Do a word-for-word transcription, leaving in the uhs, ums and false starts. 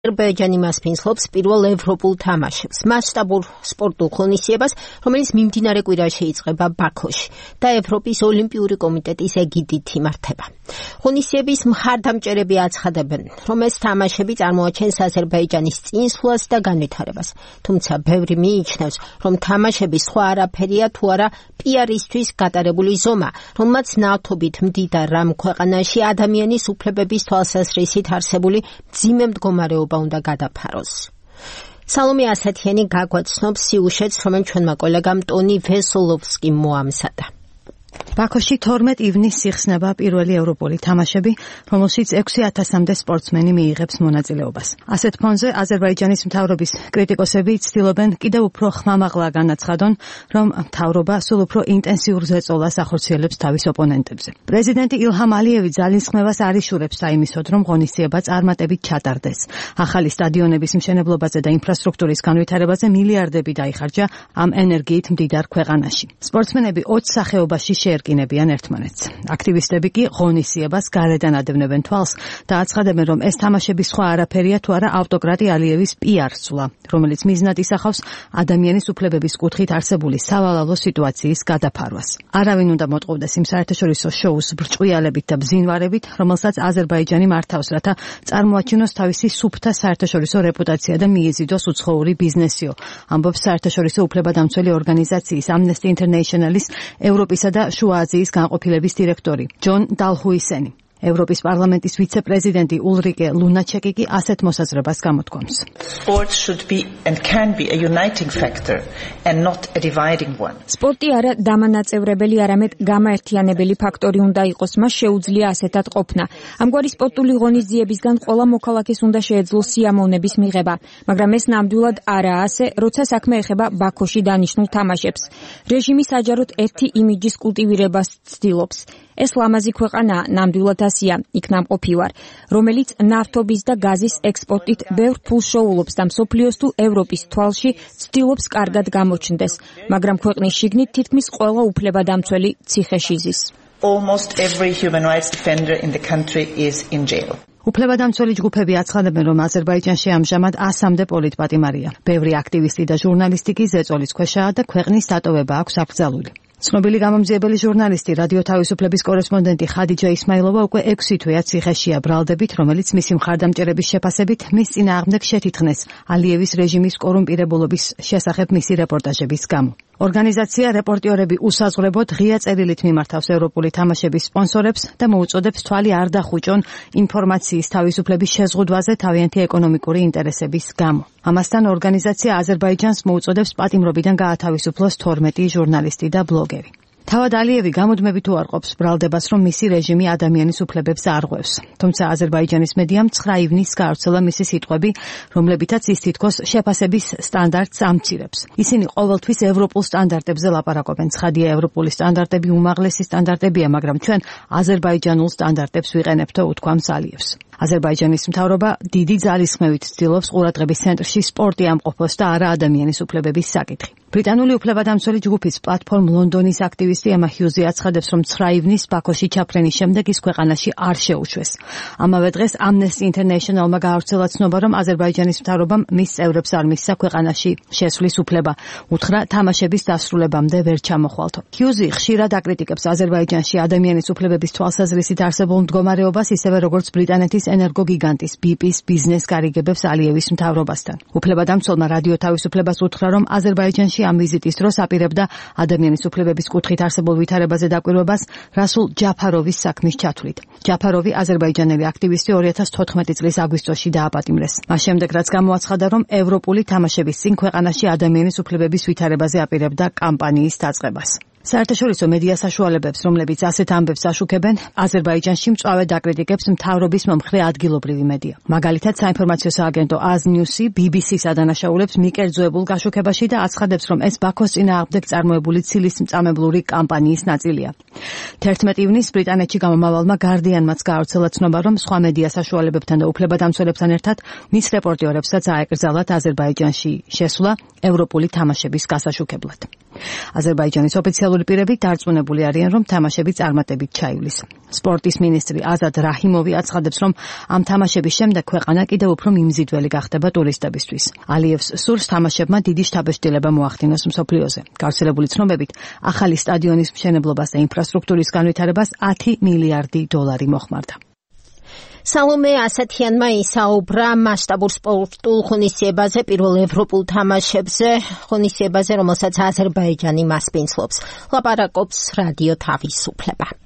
აზერბაიჯანი მასპინძლობს პირველ ევროპულ თამაშებს, მასშტაბურ სპორტულ ღონისძიებას, რომელიც მიმდინარე კვირაში იწყება ბაქოში და ევროპის ოლიმპიური კომიტეტის ეგიდით იმართება. ღონისძიების მხარდამჭერები აცხადებენ, რომ ეს თამაშები წარმოაჩენს აზერბაიჯანის წინსვლას და განვითარებას. თუმცა ბევრი მიიჩნევს, რომ თამაშები სხვა არაფერია თუ არა პიარისთვის გატარებული ზომა, რომელმაც ნავთობით მდიდარ რამ ქვეყანაში ადამიანის უფლებების თვალსაზრისით არსებული მძიმე მდგომარეობა უნდა გადაფაროს. სალომე ასათიანი გაგვაცნობს სიუჟეტს, რომელიც ჩვენმა კოლეგამ ტონი ვესოლოვსკიმ მოამზადა. ბაქოში თორმეტ ივნისს იხსნება პირველი ევროპული თამაშები, რომელშიც ექვსი ათასამდე სპორტსმენი მიიღებს მონაწილეობას. ასეთ ფონზე აზერბაიჯანის მთავრობის კრიტიკოსები ცდილობენ კიდევ უფრო ხმამაღლა განაცხადონ, რომ მთავრობა სულ უფრო ინტენსიურ ზეწოლას ახორციელებს თავის ოპონენტებზე. პრეზიდენტი ილჰამ ალიევი ძალისხმევას არ იშურებს საიმისოდ, რომ ღონისძიება წარმატებით ჩატარდეს. ახალი სტადიონების მშენებლობაზე და ინფრასტრუქტურის განვითარებაზე მილიარდები დაიხარჯა ამ ენერგიით მდიდარ ქვეყანაში. სპორტსმენები ოც სახეობაში შეერკინებიან ერთმანეთს. აქტივისტები კი ღონისძიებას გარედან ადევნებენ თვალს და აცხადებენ, რომ ეს თამაშები სხვა არაფერია თუ არა ავტოკრატი ალიევის პიარ სვლა, რომელიც მიზნად ისახავს ადამიანის უფლებების კუთხით არსებული სავალალო სიტუაციის გადაფარვას. არავინ უნდა მოტყუდეს იმ საერთაშორისო შოუს ბრჭყვიალებით და ბზინვარებით, რომელსაც აზერბაიჯანი მართავს, რათა წარმოაჩინოს თავისი სუფთა საერთაშორისო რეპუტაცია და მიიზიდოს უცხოური ბიზნესიო, ამბობს საერთაშორისო უფლებადამცველი ორგანიზაციის Amnesty International-ის ევროპისა და შუა აზიის განყოფილების დირექტორი ჯონ დალჰუისენი. ევროპის პარლამენტის ვიცე-პრეზიდენტი ულრიკე ლუნაჩეკი კი ასეთ მოსაზრებას გამოთქვამს. სპორტი არა დამანაწევრებელი, არამედ გამაერთიანებელი ფაქტორი უნდა იყოს, მას შეუძლია ასეთად ყოფნა. ამგვარი სპორტული ღონისძიებისგან ყველა მოქალაქეს უნდა შეეძლოს სიამოვნების მიღება, მაგრამ ეს ნამდვილად არაა ასე, როცა საქმე ეხება ბაქოში დანიშნულ თამაშებს. რეჟიმი საჯაროდ ერთი იმიჯის კულტივირებას ცდილობს. ეს ლამაზი ქვეყანაა, ნამდვილად ასია, იქ ნამყოფი ვარ, რომელიც ნავთობის და გაზის ექსპორტით ბევრ ფულს შოულობს და მსოფლიოს თუ ევროპის თვალში ცდილობს კარგად გამოჩნდეს, მაგრამ ქვეყნის შიგნით თითქმის ყველა უფლებადამცველი ციხეში ზის. Almost every human rights defender in the country is in jail. უფლებადამცველი ჯგუფები აცხადებენ, რომ აზერბაიჯანში ამჟამად ასამდე პოლიტპატიმარია. ბევრი აქტივისტი და ჟურნალისტი კი ზეწოლის ქვეშაა და ქვეყნის დატოვება აქვს აკრძალული. ცნობილი გამომძიებელი ჟურნალისტი, რადიო თავისუფლების კორესპონდენტი ხადიჯა ისმაილოვა უკვე ექვსი თვეა ციხეშია ბრალდებით, რომელიც მისი მხარდამჭერების შეფასებით მის წინააღმდეგ შეთითხნეს ალიევის რეჟიმის კორუმპირებულობის შესახებ მისი რეპორტაჟების გამო. ორგანიზაცია რეპორტიორები უსაზღვრებოდ ღია წერილით მიმართავს ევროპული თამაშების სპონსორებს და მოუწოდებს თვალი არ დახუჭონ ინფორმაციის თავისუფლების შეზღუდვაზე თავიანთი ეკონომიკური ინტერესების გამო. ამასთან ორგანიზაცია აზერბაიჯანს მოუწოდებს პატიმრობიდან გაათავისუფლოს თორმეტი ჟურნალისტი და ბლოგერი. თავად ალიევი გამუდმებით უარყოფს ბრალდებას, რომ მისი რეჟიმი ადამიანის უფლებებს არღვევს. თუმცა აზერბაიჯანის მედიამ ცხრა ივნისს გაავრცელა მისი სიტყვები, რომლებითაც ის თითქოს შეფასების სტანდარტს ამცირებს. ისინი ყოველთვის ევროპულ სტანდარტებზე ლაპარაკობენ. ცხადია, ევროპული სტანდარტები უმაღლესი სტანდარტებია, მაგრამ ჩვენ აზერბაიჯანულ სტანდარტებს ვიყენებთო, უთქვამს ალიევს. აზერბაიჯანის მთავრობა დიდი ძალისხმევით ცდილობს ყურადღების ცენტრში სპორტი ამყოფოს და არა ადამიანის უფლებების საკითხი. ბრიტანული უფლებადამცველი ჯგუფის პლატფორმ ლონდონის აქტივისტი ემა ჰიუზი აცხადებს, რომ ცხრა ივნისს ბაქოში ჩაფრენის შემდეგ ის ქვეყანაში არ შეუშვეს. ამავე დღეს Amnesty International-მა გაავრცელა ცნობა, რომ აზერბაიჯანის მთავრობამ მის წევრებს არ მისცა ქვეყანაში შესვლის უფლება, უთხრა თამაშების დასრულებამდე ვერ ჩამოხვალთო. ჰიუზი ხშირად აკრიტიკებს აზერბაიჯანში ადამიანის უფლებების თვალსაზრისით არსებულ მდგომარეობას, ისევე როგორც ბრიტანეთის ენერგოგიგანტის ბი პის ბიზნეს გარიგებებს ალიევის მთავრობასთან. უფლებადამცველმა რადიო თავისუფლებას უთხრა, რომ აზერბაიჯანში ამ ვიზიტის დროს აპირებდა ადამიანის უფლებების კუთხით არსებულ ვითარებაზე დაკვირვებას რასულ ჯაფაროვის საქმის ჩათვლით. ჯაფაროვი აზერბაიჯანელი აქტივისტი ორი ათას თოთხმეტი წლის აგვისტოში დააპატიმრეს. მას შემდეგ რაც გამოაცხადა, რომ ევროპული თამაშების წინ ქვეყანაში ადამიანის უფლებების ვითარებაზე აპირებდა კამპანიის დაწყებას. საერთაშორისო მედია საშუალებებს, რომლებიც ასეთ ამბებს აშუქებენ, აზერბაიჯანში მწვავედ აკრიტიკებს მთავრობის მომხრე ადგილობრივი მედია. მაგალითად, საინფორმაციო სააგენტო აზ ნიუსი ბი ბი სის ადანაშაულებს მიკერძოებულ გაშუქებაში და აცხადებს, რომ ეს ბაქოს წინააღმდეგ წარმოებული ცილის მწამებლური კამპანიის ნაწილია. თერთმეტი ივნისს ბრიტანეთში გამომავალმა გარდიანმაც გაავრცელა ცნობა, რომ სხვა მედია საშუალებებთან და უფლებადამცველებთან ერთად მის რეპორტიორებსაც აეკრძალათ აზერბაიჯანში შესვლა ევროპული თამაშების გასაშუქებლად. აზერბაიჯანის ოფიციალური პირები დარწმუნებული არიან, რომ თამაშები წარმატებით ჩაივლის. სპორტის მინისტრი აზად რაჰიმოვი აცხადებს, რომ ამ თამაშების შემდეგ ქვეყანა კიდევ უფრო მიმზიდველი გახდება ტურისტებისთვის. ალიევს სურს თამაშებმა დიდი შთაბეჭდილება მოახდინოს მსოფლიოზე. გავრცელებული ცნობებით, ახალი სტადიონის მშენებლობას და ინფრასტრუქტურის განვითარებას ათი მილიარდი დოლარი მოხმარდა. სალომე ასათიანმა ისაუბრა მასშტაბურ სპორტულ ღონისძიებაზე, პირველ ევროპულ თამაშებზე, ღონისძიებაზე, რომელსაც აზერბაიჯანი მასპინძლობს. ლაპარაკობს რადიო თავისუფლება.